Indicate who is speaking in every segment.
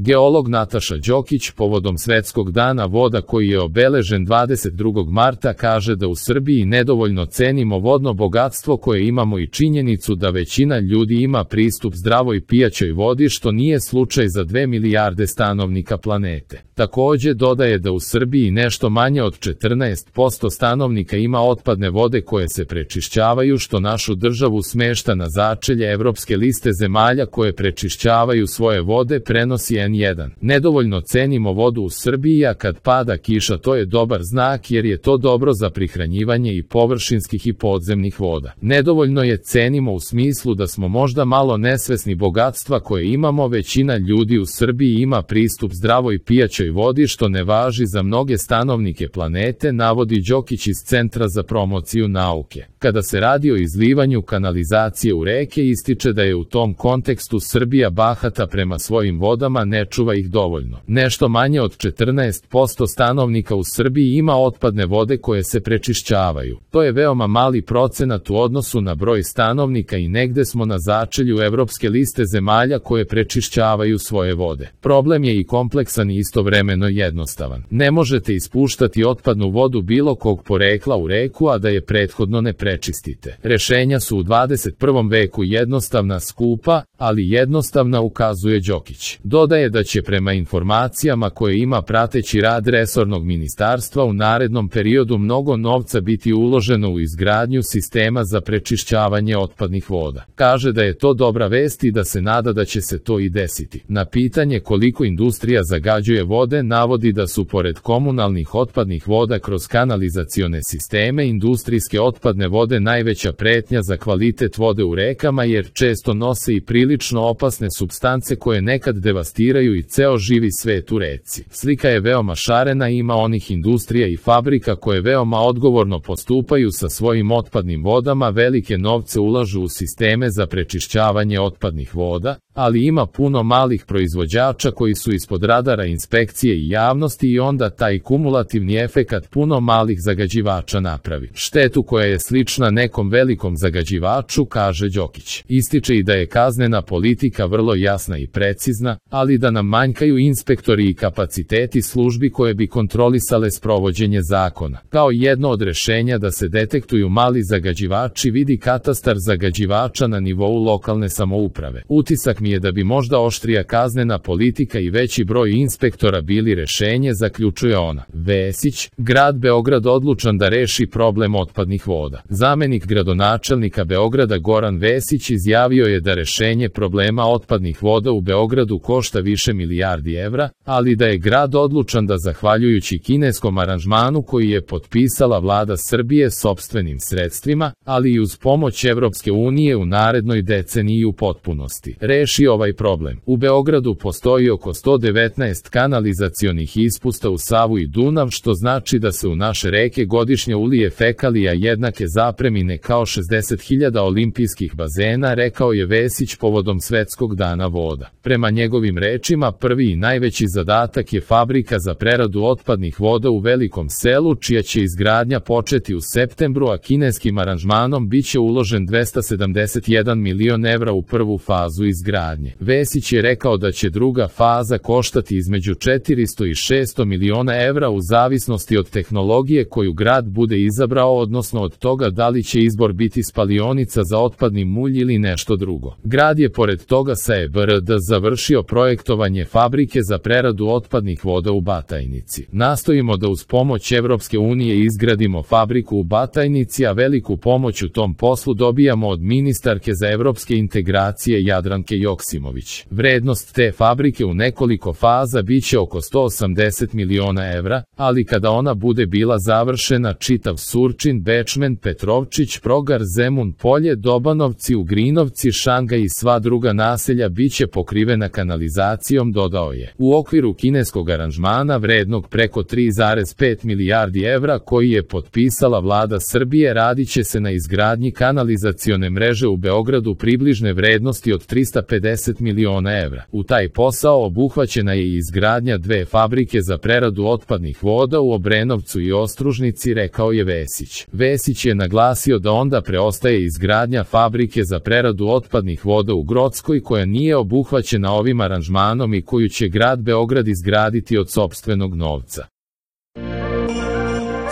Speaker 1: Geolog Nataša Đokić povodom Svetskog dana voda koji je obeležen 22. marta kaže da u Srbiji nedovoljno cenimo vodno bogatstvo koje imamo i činjenicu da većina ljudi ima pristup zdravoj pijaćoj vodi što nije slučaj za 2 milijarde stanovnika planete. Takođe dodaje da u Srbiji nešto manje od 14% stanovnika ima otpadne vode koje se prečišćavaju što našu državu smešta na začelje evropske liste zemalja koje prečišćavaju svoje vode, prenosi N1. Nedovoljno cenimo vodu u Srbiji, a kad pada kiša to je dobar znak jer je to dobro za prihranjivanje i površinskih i podzemnih voda. Nedovoljno je cenimo u smislu da smo možda malo nesvesni bogatstva koje imamo, većina ljudi u Srbiji ima pristup zdravoj pijaćoj vodi što ne važi za mnoge stanovnike planete, navodi Đokić iz Centra za promociju nauke. Kada se radi o izlivanju kanalizacije u reke, ističe da je u tom kontekstu Srbija bahata prema svojim vodama, ne čuva ih dovoljno. Nešto manje od 14% stanovnika u Srbiji ima otpadne vode koje se prečišćavaju. To je veoma mali procenat u odnosu na broj stanovnika i negde smo na začelju evropske liste zemalja koje prečišćavaju svoje vode. Problem je i kompleksan i istovremeno jednostavan. Ne možete ispuštati otpadnu vodu bilo kog porekla u reku, a da je prethodno ne prečistite. Rešenja su u 21. veku jednostavna, skupa, ali jednostavna, ukazuje Đokić. Dodaje da će prema informacijama koje ima prateći rad resornog ministarstva u narednom periodu mnogo novca biti uloženo u izgradnju sistema za prečišćavanje otpadnih voda. Kaže da je to dobra vest i da se nada da će se to i desiti. Na pitanje koliko industrija zagađuje vode, navodi da su pored komunalnih otpadnih voda kroz kanalizacione sisteme industrijske otpadne vode najveća pretnja za kvalitet vode u rekama jer često nose i prilično opasne supstance koje nekad devastiraju i ceo živi svet u reci. Slika je veoma šarena, ima onih industrija i fabrika koje veoma odgovorno postupaju sa svojim otpadnim vodama, velike novce ulažu u sisteme za prečišćavanje otpadnih voda, ali ima puno malih proizvođača koji su ispod radara inspekcije i javnosti i onda taj kumulativni efekat puno malih zagađivača napravi štetu koja je slična nekom velikom zagađivaču, kaže Đokić. Ističe i da je kaznena politika vrlo jasna i precizna, ali da nam manjkaju inspektori i kapaciteti službi koje bi kontrolisale sprovođenje zakona. Kao jedno od rešenja da se detektuju mali zagađivači vidi katastar zagađivača na nivou lokalne samouprave. Utisak mi je da bi možda oštrija kaznena politika i veći broj inspektora bili rešenje, zaključuje ona. Vesić, grad Beograd odlučan da reši problem otpadnih voda. Zamenik gradonačelnika Beograda Goran Vesić izjavio je da rešenje problema otpadnih voda u Beogradu košta više milijardi evra, ali da je grad odlučan da zahvaljujući kineskom aranžmanu koji je potpisala vlada Srbije sopstvenim sredstvima, ali i uz pomoć Evropske unije u narednoj deceniji u potpunosti reši ovaj problem. U Beogradu postoji oko 119 kanalizacionih ispusta u Savu i Dunav, što znači da se u naše reke godišnje ulije fekalija jednake zapremine kao 60.000 olimpijskih bazena, rekao je Vesić povodom Svetskog dana voda. Prema njegovim rečima, prvi i najveći zadatak je fabrika za preradu otpadnih voda u Velikom Selu, čija će izgradnja početi u septembru, a kineskim aranžmanom biće uložen 271 milion evra u prvu fazu izgradnje. Vesić je rekao da će druga faza koštati između 400 i 600 miliona evra u zavisnosti od tehnologije koju grad bude izabrao, odnosno od toga da li će izbor biti spalionica za otpadni mulj ili nešto drugo. Grad je pored toga sa EBRD završio projektovanje fabrike za preradu otpadnih voda u Batajnici. Nastojimo da uz pomoć Evropske unije izgradimo fabriku u Batajnici, a veliku pomoć u tom poslu dobijamo od ministarke za evropske integracije Jadranke Joksimović. Vrednost te fabrike u nekoliko faza biće oko 180 miliona evra, ali kada ona bude bila završena, čitav Surčin, Bečmen, Petrovčić, Progar, Zemun Polje, Dobanovci, Ugrinovci, Šangaj i sva druga naselja biće pokrivena kanalizacijom, dodao je. U okviru kineskog aranžmana vrednog preko 3,5 milijardi evra koji je potpisala vlada Srbije, radiće se na izgradnji kanalizacione mreže u Beogradu približne vrednosti od 350 miliona evra. U taj posao obuhvaćena je i izgradnja izgradnja 2 fabrike za preradu otpadnih voda u Obrenovcu i Ostružnici, rekao je Vesić. Vesić je naglasio da onda preostaje izgradnja fabrike za preradu otpadnih voda u Grockoj koja nije obuhvaćena ovim aranžmanom i koju će grad Beograd izgraditi od sopstvenog novca.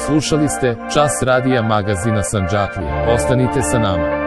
Speaker 1: Slušali ste Čas radija magazina Sandžaklija. Ostanite sa nama.